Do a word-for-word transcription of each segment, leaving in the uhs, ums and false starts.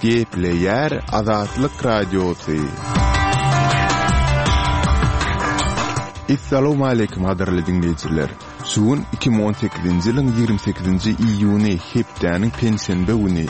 Gepleýär Azatlyk Radiosy. Essalawmaleýkim gadyrly diňleýjiler! Şu gün iki müň on sekizinji ýylyň ýigrimi sekizinji iýuny, hepdäniň penşenbe güni.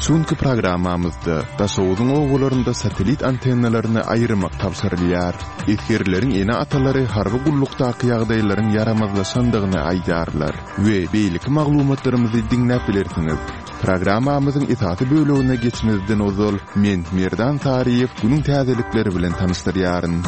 Şu günki programmamyzda Daşoguzyň obalarynda satellit antennalaryny aýyrmak tabşyrylýar. Esgerleriň ene-atalary harby gullukdaky ýagdaýlaryň ýaramazlaşandygyny aýdýarlar we beýleki maglumatlarymyzy diňläp bilersiňiz. Programmamyzyň esasy bölegine geçmezden ozal, men, Merdan Saryýew, günüň täzelikleri bilen tanyşdyrýaryn.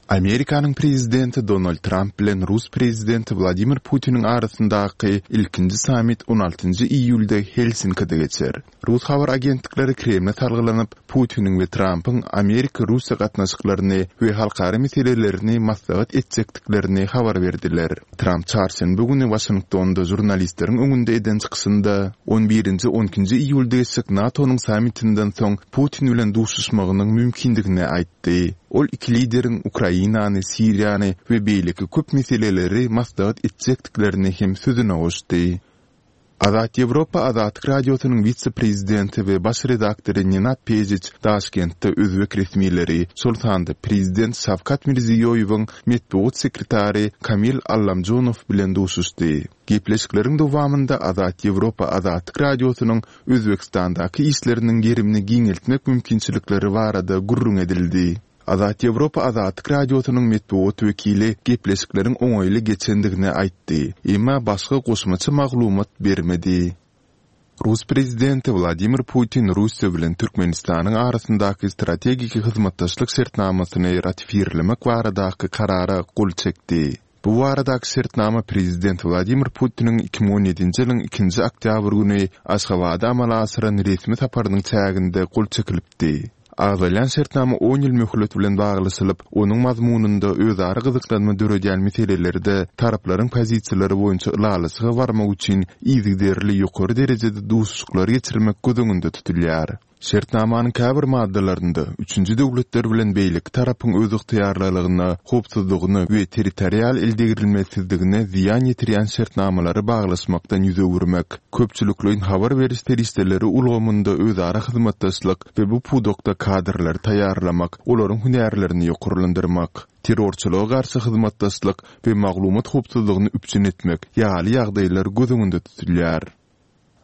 Amerikanyň prezidenti Donald Tramp bilen rus prezidenti Wladimir Putiniň arasyndaky ilkinji sammit on altynjy iýulda Helsinkide geçer. Rus habar agentlikleri Kremle salgylanyp, Putiniň we Trampyň Amerika-Russiýa gatnaşyklaryny we halkara meselelerini maslahat etjekdiklerini habar berdiler. Tramp çarşenbe güni Waşingtonda žurnalistleriň öňünde eden çykyşynda, on birinji on ikinji iýulda geçjek NATO-nyň sammitinden soň Putin bilen duşuşmagynyň mümkindigini aýtdy. Ol iki lideriň Ukrainany, Siriýany we beýleki köp meseleleri maslahat etjekdiklerini hem sözüne goşdy. Azat Ýewropa Azatlyk Radiosynyň wise-prezidenti we baş redaktory Nenad Pejiç Daşkentde özbek resmileri, şol sanda prezident Şawkat Mirziýoýewiň metbugat sekretary Kamil Allamjonow bilen duşuşdy. Gepleşikleriň dowamynda Azat Ýewropa Azatlyk Radiosynyň Özbegistandaky işleriniň gerimini giňeltmek mümkinçilikleri barada gürrüň edildi. Azat Ýewropa Azatlyk Radiosynyň metbugat wekili gepleşikleriň oňaýly geçendigini aýtdy, emma başga goşmaça maglumat bermedi. Rus prezidenti Wladimir Putin Russiýa bilen Türkmenistanyň arasyndaky strategik hyzmatdaşlyk şertnamasyny ratifirlemek baradaky karara gol çekdi. Bu baradaky şertnama prezident Wladimir Putiniň iki müň on ýedinji ýylyň ikinji oktýabr güni Aşgabada amala aşyran resmi saparynyň çäginde gol çekilipdi. Agzalýan şertnama on ýyl möhlet bilen baglaşylyp, onuň mazmunynda özara gyzyklanma döredýän meselelerde taraplaryň pozisiýalary boýunça ylalaşyga barmak üçin yzygiderli ýokary derejede duşuşyklary geçirmek göz öňünde tutulýar. Şertnamanyň käbir maddalarynda üçünji döwletler bilen beýleki tarapyň özygtyýarlylygyna, howpsuzlygyna we territorial eldegrilmesizligine zyýan ýetirýän şertnamalary baglaşmakdan ýüz öwürmek, köpçülikleýin habar beriş serişdeleri ulgamynda özara hyzmatdaşlyk we bu pudakda kadrlary taýýarlamak, olaryň hünärlerini ýokarlandyrmak, terrorçylyga garşy hyzmatdaşlyk we maglumat howpsuzlygyny üpjün etmek ýaly ýagdaýlar göz öňünde tutulýar.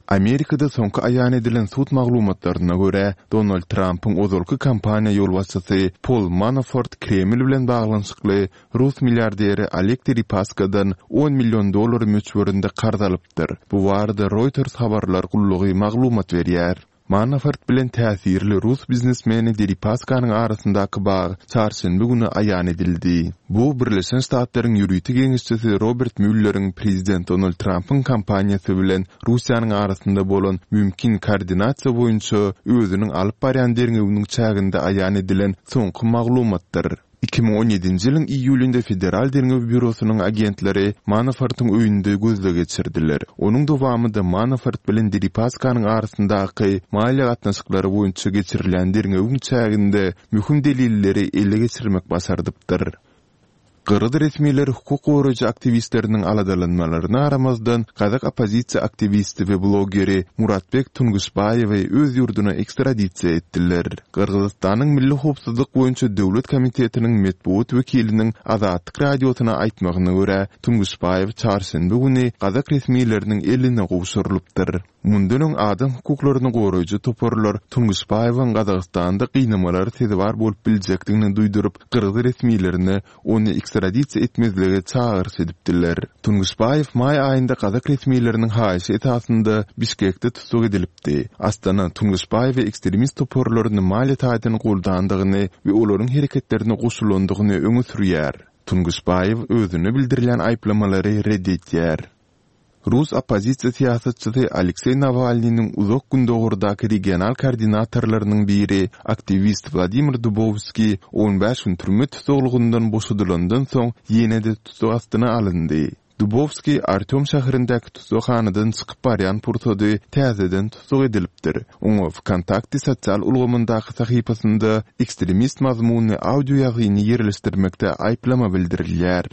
Amerikada soňky aýan edilen sud maglumatlaryna görä, Donald Trampyň ozalky kampaniýa ýolbaşçysy Pol Manafort Kreml bilen baglanyşykly rus milliarderi Oleg Deripaskadan on million dollar möçberinde karz alypdyr. Bu barada Reuters habarlar gullugy maglumat berýär. Manafort bilen täsirli rus biznesmeni Deripaskanyň arasyndaky bag çarşenbe güni aýan edildi. Bu Birleşen Ştatlaryň ýörite geňeşçisi Robert Mülleriň prezident Donald Trampyň kampaniýasy bilen Russiýanyň arasynda bolan mümkin koordinasiýa boýunça özüniň alyp barýan derňewiniň çäginde aýan edilen soňky maglumatdyr. Iki müň on ýedinji ýylyň iýulynda Federal derňew býurosynyň agentleri Manafortyň öýünde gözleg geçirdiler. Onuň dowamynda Manafort bilen Deripaskanyň arasyndaky maliýe gatnaşyklary boýunça geçirilýän derňewiň çäginde möhüm delilleri ele geçirmek başardypdyr. Gyrgyz resmileri hukuk goraýjy aktiwistleriniň aladalanmalaryna garamazdan, gazak oppozisiýa aktiwisti we blogeri Muratbek Tungyşbaýewi öz ýurduna ekstradisiýa etdiler. Gyrgyzystanyň Milli howpsuzlyk boýunça döwlet komitetiniň metbugat wekiliniň Azatlyk Radiosyna aýtmagyna görä, Tungyşbaýew çarşenbe güni gazak resmileriniň eline gowşurylypdyr. Mundan öň adam hukuklaryny goraýjy toparlar Tungyşbaýewiň Gazagystanda gynamalara sezewar bolup biljekdigini duýduryp, gyrgyz resmilerine ony ekstradisiýa etmezlige çagyryş edipdiler. Tungyşbaýew maý aýynda gazak resmileriniň haýyşy esasynda Bişkekde tussag edilipdi. Astana Tungyşbaýewe ekstremist toparlaryny maliýe taýdan goldandygyny we olaryň hereketlerine goşulandygyny öňe sürýär. Tungyşbaýew özüne bildirilýän aýyplamalary red edýär. Rus oppozisiýa syýasatçysy Alekseý Nawalnynyň Uzak Gündogardaky regional koordinatorlarynyň biri, aktiwist Wladimir Dubowskiý on bäş gün türme tussaglygyndan boşadylandan soň ýene-de tussag astyna alyndy. Dubowskiý Artýom şäherindäki tussaghanadan çykyp barýan pursady täzeden tussag edilipdir. Oňa WKontakte sosial ulgamyndaky sahypasynda ekstremist mazmunly audio ýazgyny ýerleşdirmekde aýyplama bildirilýär.